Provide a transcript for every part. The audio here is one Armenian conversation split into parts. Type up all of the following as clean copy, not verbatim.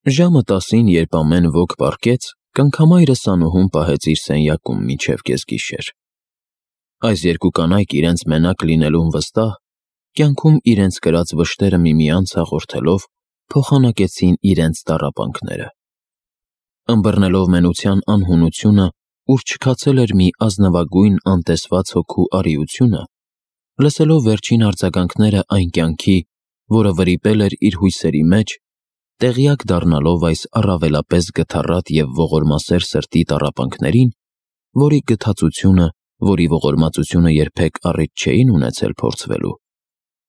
Ժամը 10-ին, երբ ամեն ոք պառկեց, կնքամայրը Սանուհուն պահեց իր սենյակում մինչև կեսգիշեր։ Այս երկու կանայք իրենց մենակ լինելուն վստահ, կյանքում իրենց կրած վշտերը միմյանց հաղորդելով, փոխանակեցին իրենց տառապանքները։ Ըմբռնելով մենության անհունությունը, ուր չքացել էր մի ազնվագույն անտեսված հոգու արիությունը, լսելով վերջին արձագանքները այն կյանքի, որը վրիպել էր իր հույսերի մեջ, տեղյակ դառնալով այս առավելապես գթառատ և ողորմասեր սրտի տառապանքներին, որի գթածությունը, որի ողորմածությունը երբեք առիթ չէին ունեցել փորձվելու,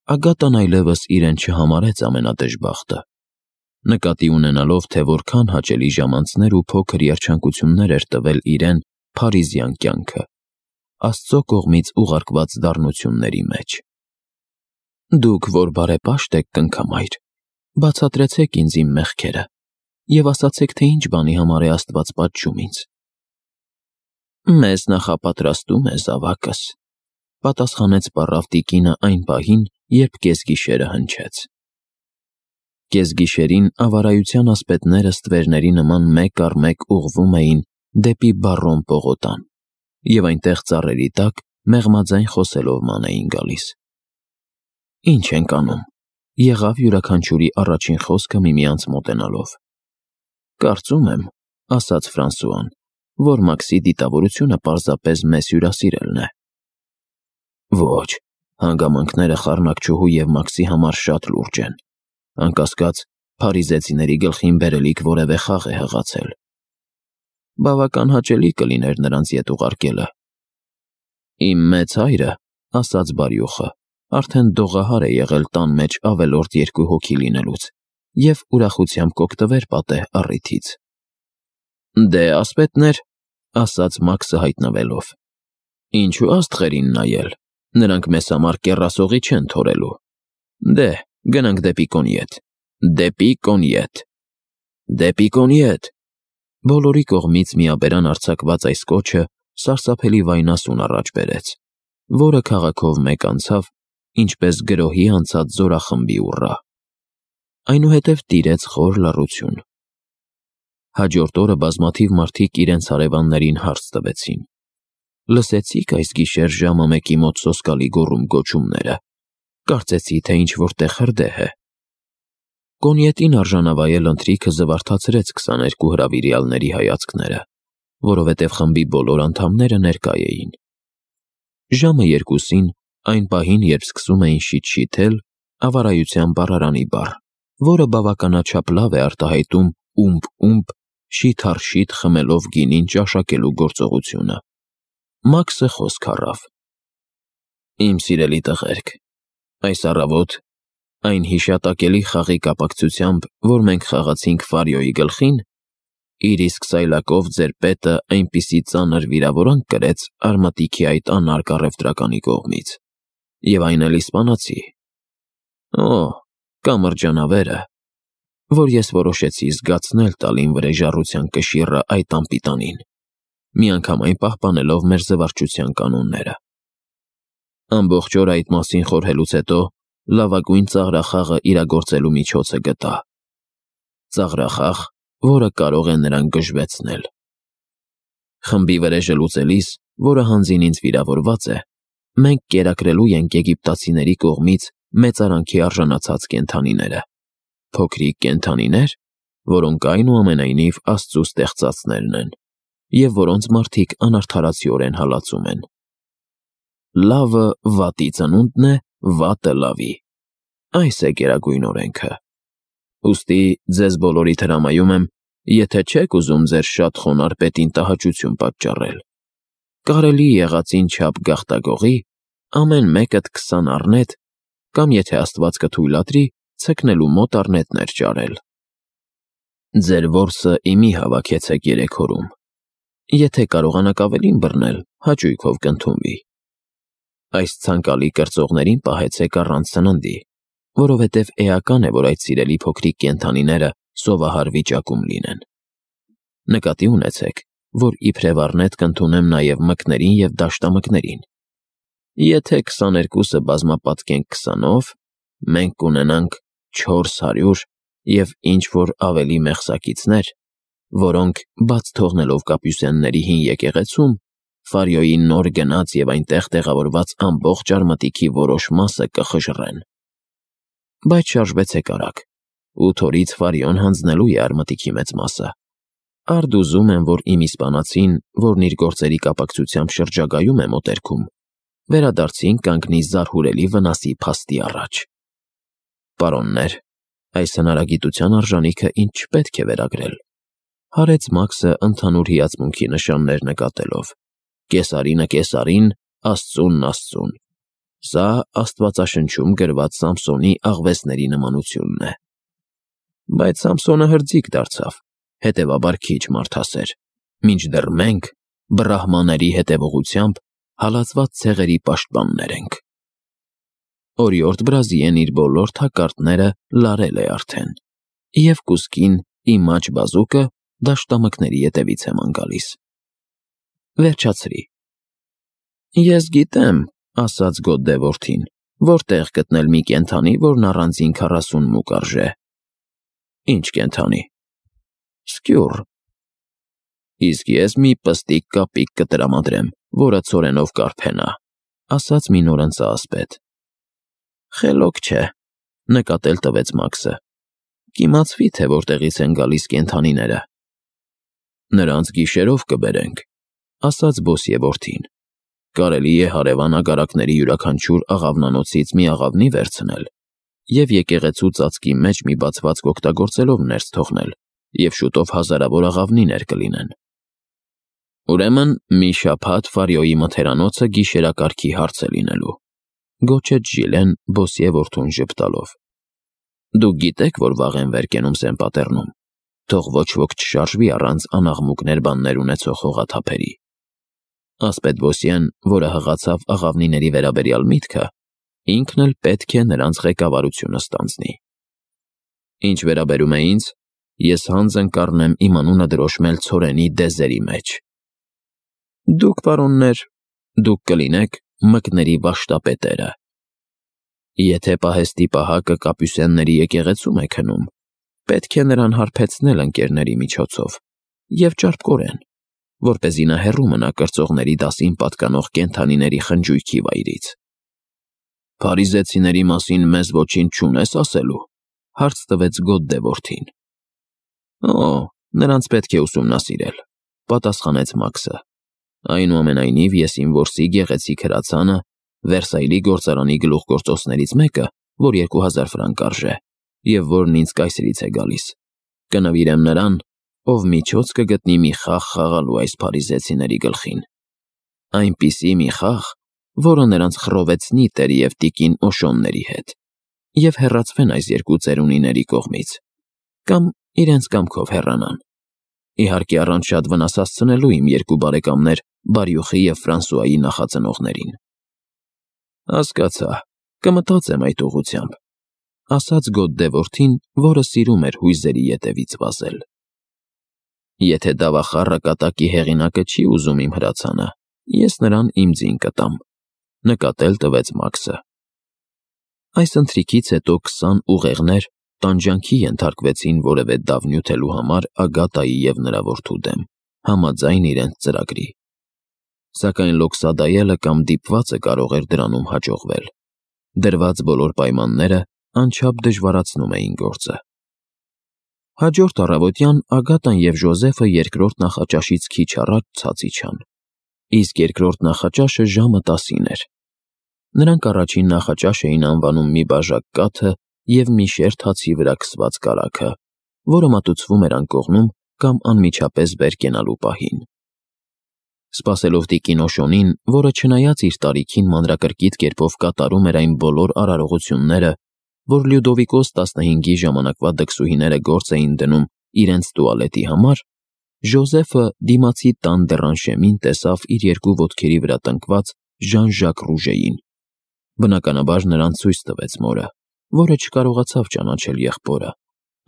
Ագատան այլևս իրեն չհամարեց ամենադժբախտը, նկատի ունենալով, թե որքան հաճելի ժամանցներ ու փոքր երջանկություններ էր տվել իրեն փարիզյան կյանքը, Աստծո կողմից ուղարկված դառնությունների մեջ։ Դուք, որ բարեպաշտ եք, կնքամայր, բացատրեցեք ինձ իմ մեղքերը և ասացեք, թե ինչ բանի համար է Աստված պատժում ինձ։ Մեզ նախապատրաստում է զավակս, պատասխանեց պառավ տիկինը այն պահին, երբ կեսգիշերը հնչեց։ Կեսգիշերին ավարայության ասպետները ստվերների նման մեկ առ մեկ ուղղվում էին դեպի Բարրոն պողոտան, և այնտեղ ծառերի տակ մեղմաձայն խոսելով ման էին գալիս։ Ինչ ենք անում, եղավ յուրաքանչյուրի առաջին խոսքը միմյանց մոտենալով։ Կարծում եմ, ասաց Ֆրանսուան, որ Մաքսի դիտավորությունը պարզապես մեզ հյուրասիրելն է։ Ոչ, հանգամանքները խառնակչուհու և Մաքսի համար շատ լուրջ են, անկասկած, փարիզեցիների գլխին բերելիք որևէ խաղ է հղացել։ Բավական հաճելի կլիներ նրանց ետ ուղարկելը։ Իմ մեծ հայրը, ասաց բարյոխը, արդեն դողահար է եղել տան մեջ ավելորդ 2 հոգի լինելուց և ուրախությամբ կօգտվեր պատեհ առիթից։ Դե, ասպետներ, ասաց Մաքսը հայտնվելով, ինչու աստղերին նայել, նրանք մեզ համար կեռասողի չեն թորելու։ Դե, գնանք դեպի Կոնիետ, դեպի Կոնիետ, դեպի Կոնիետ։ Բոլորի կողմից միաբերան արձակված այս կոչը սարսափելի վայնասուն առաջ բերեց, որը քաղաքով մեկ անցավ, ինչպես գրոհի անցած զորախմբի ուռա։ Այնուհետև տիրեց խոր լռություն։ Հաջորդ օրը բազմաթիվ մարդիկ իրենց հարևաններին հարց տվեցին. Լսեցիք այս գիշեր ժամը 1-ի մոտ սոսկալի գոռում-գոչումները, կարծեցի, թե ինչ-որ տեղ հրդեհ է։ Կոնիետին արժանավայել ընթրիքը զվարթացրեց 22 հրավիրյալների հայացքները, որովհետև խմբի բոլոր անդամները ներկա էին։ Ժամը 2-ին, այն պահին, երբ սկսում էին շիթ-շիթել, ավարայության բառարանի բառ, որը բավականաչափ լավ է արտահայտում ումբ-ումբ, շիթ-առ-շիթ խմելով գինին ճաշակելու գործողությունը, Մաքսը խոսք առավ. Իմ սիրելի տղերք, այս առավոտ, այն հիշատակելի խաղի կապակցությամբ, որ մենք խաղացինք Ֆարիոյի գլխին, իր իսկ սայլակով ձեր պետը այնպիսի ծանր վիրավորանք կրեց Արմատիքի այդ անարգ առևտրականի կողմից, և այն էլ իսպանացի, կամրջանավերը, որ ես որոշեցի զգացնել տալ իմ վրեժառության կշիռը այդ անպիտանին, միանգամայն պահպանելով մեր զվարճության կանոնները։ Ամբողջ օր այդ մասին խորհելուց հետո լավագույն ծաղրախաղը իրագործելու միջոցը գտա։ Ծաղրախաղ, որը կարող է նրան գժվեցնել։ Խմբի վրեժը լուծելիս, որը հանձին ինձ վիրավորված է, մենք կերակրելու ենք եգիպտացիների կողմից մեծարանքի արժանացած կենդանիները, փոքրիկ կենդանիներ, որոնք այնուամենայնիվ Աստծու ստեղծածներն են, և որոնց մարդիկ անարդարացիորեն հալածում են։ Լավը վատի ծնունդն է, վատը լավի։ Այս է գերագույն օրենքը։ Ուստի ձեզ բոլորիդ հրամայում եմ, եթե չեք ուզում ձեր շատ խոնարհ պետին տհաճություն պատճառել, կարելի եղածին չափ գաղտագողի, ամեն մեկդ 20 առնետ, կամ եթե Աստված կթույլատրի, ցկնելու մոտ առնետներ ճարել։ Ձեր որսը իմի հավաքեցեք 3 օրում։ Եթե կարողանաք ավելին բռնել, հաճույքով կընդունվի։ Այս ցանկալի կրծողներին պահեցեք առանց սննդի, որովհետև էական է, որ այդ սիրելի փոքրիկ կենդանիները սովահար վիճակում լինեն։ Նկատի ունեցեք, որ իբրև առնետ կընդունեմ նաև մկներին և դաշտամկներին։ Եթե 22-ը բազմապատկենք 20-ով, մենք կունենանք 400, և ինչ-որ ավելի մեղսակիցներ, որոնք, բաց թողնելով Կապյուսենների հին եկեղեցում, Ֆարյոյի նոր գնած և այնտեղ տեղավորված ամբողջ արմատիքի որոշ մասը կխժռեն։ Բայց շարժվեցեք արագ, 8 օրից Ֆարյոն հանձնելու է արմատիքի մեծ մասը։ Արդ ուզում եմ, որ իմ իսպանացին, որն իր գործերի կապակցությամբ շրջագայում է մոտերքում, վերադարձին կանգնի զարհուրելի վնասի փաստի առաջ։ Պարոններ, այս հնարագիտության արժանիքը ինձ չպետք է վերագրել, հարեց Մաքսը ընդհանուր հիացմունքի նշաններ նկատելով։ Կեսարինը կեսարին, Աստծունն Աստծուն։ Սա Աստվածաշնչում գրված Սամսոնի աղվեսների նմանությունն է։ Բայց Սամսոնը հրձիկ դարձավ, հետևաբար քիչ մարդասեր, մինչդեռ մենք բրահմաների հետևողությամբ հալածված ցեղերի պաշտպաններ ենք։ Օրիորդ Բրազիեն իր բոլոր թակարդները լարել է արդեն, և կուսկին իմ աջ բազուկը դաշտամկների ետևից է ման գալիս։ Վերջացրի։ Ես գիտեմ, ասաց Գոդդե որդին, որտեղ գտնել մի կենդանի, որն առանձին 40 մուկ արժե։ Ինչ կենդանի։ Սկյուռ։ Իսկ ես մի պստիկ կապիկ կտրամադրեմ, որը ցորենով կարփենա, ասաց մի նորընծա ասպետ։ Խելոք չէ, նկատել տվեց Մաքսը։ Կիմացվի, թե որտեղից են գալիս կենդանիները։ Նրանց գիշերով կբերենք, ասաց Բոսիե որդին։ Կարելի է հարևան ագարակների յուրաքանչյուր աղավնանոցից մի աղավնի վերցնել և եկեղեցու ծածկի մեջ մի բացվածք օգտագործելով ներս թողնել, և շուտով հազարավոր աղավնիներ կլինեն։ Ուրեմն մի շաբաթ Ֆարյոյի մթերանոցը գիշերակարգի հարց է լինելու, գոչեց Ժիլեն Բոսիե որդուն ժպտալով։ Դուք գիտեք, որ վաղ են վեր կենում Սեն-Պատերնում, թող ոչ ոք չշարժվի առանց անաղմուկներ բաններ ունեցող հողաթափերի։ Ասպետ Բոսիեն, որը հղացավ աղավնիների վերաբերյալ միտքը, ինքն էլ պետք է նրանց ղեկավարությունը ստանձնի։ Ինչ վերաբերում է ինձ, ես հանձն կառնեմ իմ անունը դրոշմել ցորենի դեզերի մեջ։ Դուք, պարոններ, դուք կլինեք մկների վաշտապետերը։ Եթե պահեստի պահակը Կապյուսենների եկեղեցում է քնում, պետք է նրան հարբեցնել ընկերների միջոցով և ճարպկորեն, որպեսզի նա հեռու մնա կրծողների դասին պատկանող կենդանիների խնջույքի վայրից։ Փարիզեցիների մասին մեզ ոչինչ չունես ասելու, հարց տվեց Գոդդե որդին։ Օ, նրանց պետք է ուսումնասիրել, պատասխանեց Մաքսը։ Այնուամենայնիվ ես իմ որսի գեղեցիկ հրացանը, Վերսայլի գործարանի գլուխգործոցներից մեկը, որ 2000 ֆրանկ արժե, և որն ինձ կայսրից է գալիս, կնվիրեմ նրան, ով միջոց կգտնի մի խաղ խաղալու այս փարիզեցիների գլխին։ Այնպիսի մի խաղ, որը նրանց խռովեցնի տեր և տիկին Օշոնների հետ, և հեռացվեն այս երկու ծերունիների կողմից, կամ իրենց կամքով հեռանան։ Իհարկե առանց շատ վնաս հասցնելու իմ երկու բարեկամներ Բարյուխի և Ֆրանսուայի նախածնողներին։ Հասկացա, կմտածեմ այդ ուղղությամբ, ասաց Գոդդե որդին, որը սիրում էր հույզերի ետևից վազել։ Եթե դավախառը կատակի հեղինակը չի ուզում իմ հրացանը, ես նրան իմ ձին կտամ, նկատել տվեց Մաքսը։ Այս ընթրիքից հետո 20 ուղեղներ տանջանքի ենթարկվեցին որևէ դավ նյութելու համար Ագատայի և նրա որդու դեմ, համաձայն իրենց ծրագրի։ Սակայն Լոքսադայելը կամ դիպվածը կարող էր դրանում հաջողվել։ Դրված բոլոր պայմանները անչափ դժվարացնում էին գործը։ Հաջորդ առավոտյան Ագատան և Ժոզեֆը երկրորդ նախաճաշից քիչ առաջ ցած իջան, իսկ երկրորդ նախաճաշը ժամը 10-ին էր։ Նրանք առաջին նախաճաշ էին անվանում մի բաժակ կաթը և մի շերտ հացի վրա քսված կարագը, որը մատուցվում էր անկողնում կամ անմիջապես վեր կենալու պահին։ Սպասելով տիկին Օշոնին, որը չնայած իր տարիքին մանրակրկիտ կերպով կատարում էր այն բոլոր արարողությունները, որ Լյուդովիկոս 15-ի ժամանակվա դքսուհիները գործ էին դնում իրենց տուալետի համար, Ժոզեֆը դիմացի տան դեռանշեմին տեսավ իր երկու ոտքերի վրա տնկված Ժան-Ժակ Ռուժեին։ Բնականաբար նրան ցույց տվեց մորը, որը չկարողացավ ճանաչել եղբորը,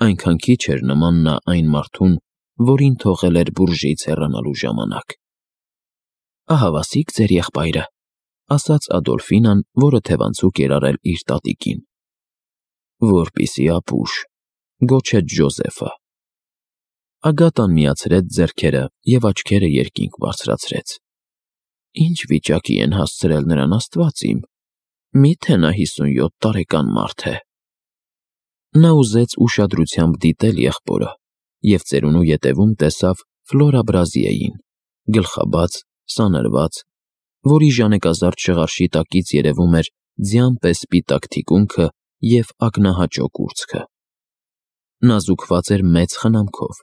այնքան քիչ էր նման նա այն մարդուն, որին թողել էր բուրժեից հեռանալու ժամանակ։ Ահավասիկ ձեր եղբայրը, ասաց Ադոլֆինան, որը թևանցուկ էր արել իր տատիկին։ Որպիսի ապուշ, Գոչեց Ջոզեֆը։ Ագատան միացրեց ձեռքերը և աչքերը երկինք բարձրացրեց։ Ինչ վիճակի են հասցրել նրան, Աստված իմ, միթե նա 57 տարեկան մարդ է։ Նա ուզեց ուշադրությամբ դիտել եղբորը և ծերունու ետևում տեսավ Ֆլորա Բրազիեին, գլխաբաց, սանրված, որի ժանեկազարդ շղարշի տակից երևում էր ձյան պես սպիտակ թիկունքը և ակնահաճո կուրծքը։ Նա զուգված էր մեծ խնամքով,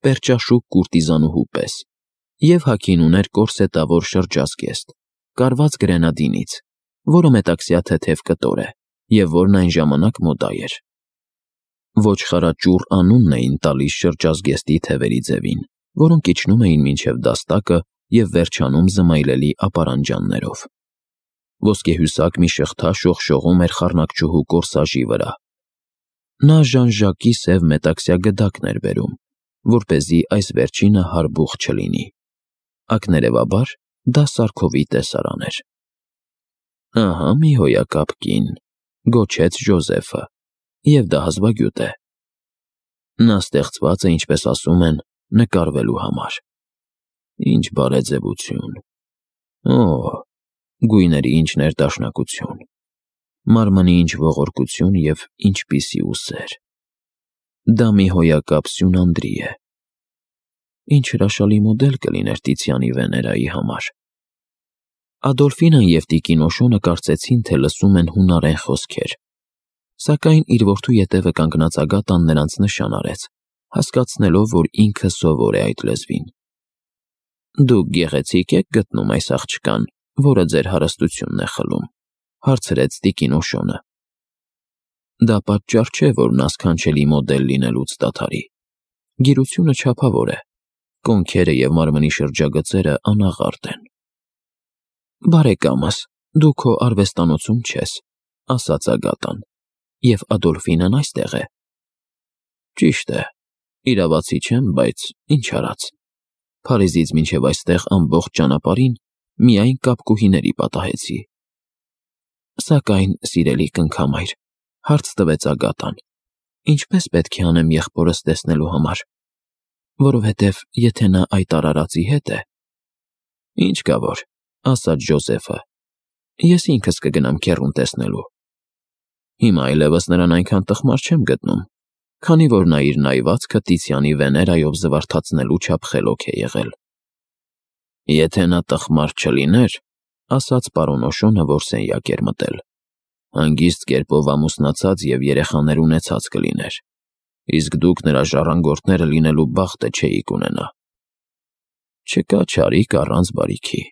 պերճաշուք կուրտիզանուհու պես, և հագին ուներ կորսետավոր շրջազգեստ, կարված գրենադինից, որը մետաքսյա թեթև կտոր է և որն այն ժամանակ մոդա էր։ Ոչխարաճուռ անունն էին տալիս շրջազգեստի թևերի ձևին, որոնք իջնում էին մինչև դաստակը և վերջանում զմայլելի ապարանջաններով։ Ոսկեհյուսակ մի շղթա շողշողում էր խառնակչուհու կորսաժի վրա։ Նա Ժան-Ժակի սև մետաքսյա գդակն էր բերում, որպեսզի այս վերջինը հարբուխ չլինի։ Ակներևաբար դա Սարքովի տեսարան էր։ Ահա մի հոյակապ կին, գոչեց Ջոզեֆը, և դա հազվագյուտ է։ Նա ստեղծված է, ինչպես ասում են, նկարվելու համար։ Ինչ բարեձևություն։ Օ՜, գույների ինչ ներդաշնակություն, մարմնի ինչ ողորկություն և ինչպիսի ուսեր։ Դա մի հոյակապ Սյունանդրի է։ Ինչ հրաշալի մոդել կլիներ Տիցիանի Վեներայի համար։ Ադոլֆինան և տիկին Օշոնը կարծեցին, թե լսում են հունարեն խոսքեր, սակայն իր որդու ետևը կանգնած Ագատան նրանց նշան արեց, հասկացնելով, որ ինքը սովոր է այդ լեզվին։ Դուք գեղեցիկ եք գտնում այս աղջկան, որը ձեր հարստությունն է խլում, հարցրեց տիկին Օշոնը։ Դա պատճառ չէ, որ նա սքանչելի մոդել լինելուց դադարի։ Գիրությունը չափավոր է, կոնքերը և մարմնի շրջագծերը անաղարտ են։ Բարեկամս, դու քո արվեստանոցում չես, ասաց Ագատան, և Ադոլֆինն այստեղ է։ Ճիշտ է, իրավացի չեմ, բայց ինչ արած։ Փարիզից մինչև այստեղ ամբողջ ճանապարհին միայն կապկուհիների պատահեցի։ Սակայն, սիրելի կնքամայր, հարց տվեց Ագատան, ինչպես պետք է անեմ եղբորս տեսնելու համար, որովհետև եթե նա այդ արարածի հետ է… Ինչ կա որ, ասաց Ջոզեֆը, ես ինքս կգնամ քեռուն տեսնելու։ Հիմա այլևս նրան այնքան տխմար չեմ գտնում, քանի որ նա իր նայվածքը Տիցիանի Վեներայով զվարթացնելու չափ խելոք է եղել։ Եթե նա տխմար չլիներ, ասաց պարոն Օշոնը, որ սենյակ էր մտել, հանգիստ կերպով ամուսնացած և երեխաներ ունեցած կլիներ, իսկ դուք նրա ժառանգորդները լինելու բախտը չէիք ունենա։ Չկա չարիք առանց բարիքի։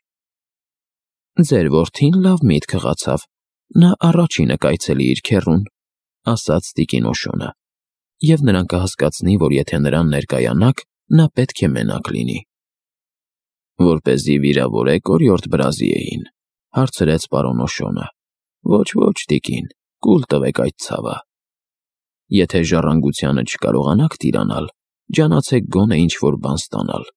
Ձեր որդին լավ միտք հղացավ, նա առաջինը կայցելի իր քեռուն, ասաց տիկին Օշոնը, և նրան կհասկացնի, որ եթե նրան ներկայանաք, նա պետք է մենակ լինի։ Որպեսզի վիրավորեք օրիորդ Բրազիեին, հարցրեց պարոն Օշոնը։ Ոչ, տիկին, կուլ տվեք այդ ցավը։ Եթե ժառանգությանը չկարողանաք տիրանալ, ջանացեք գոնե ինչ-որ բան ստանալ։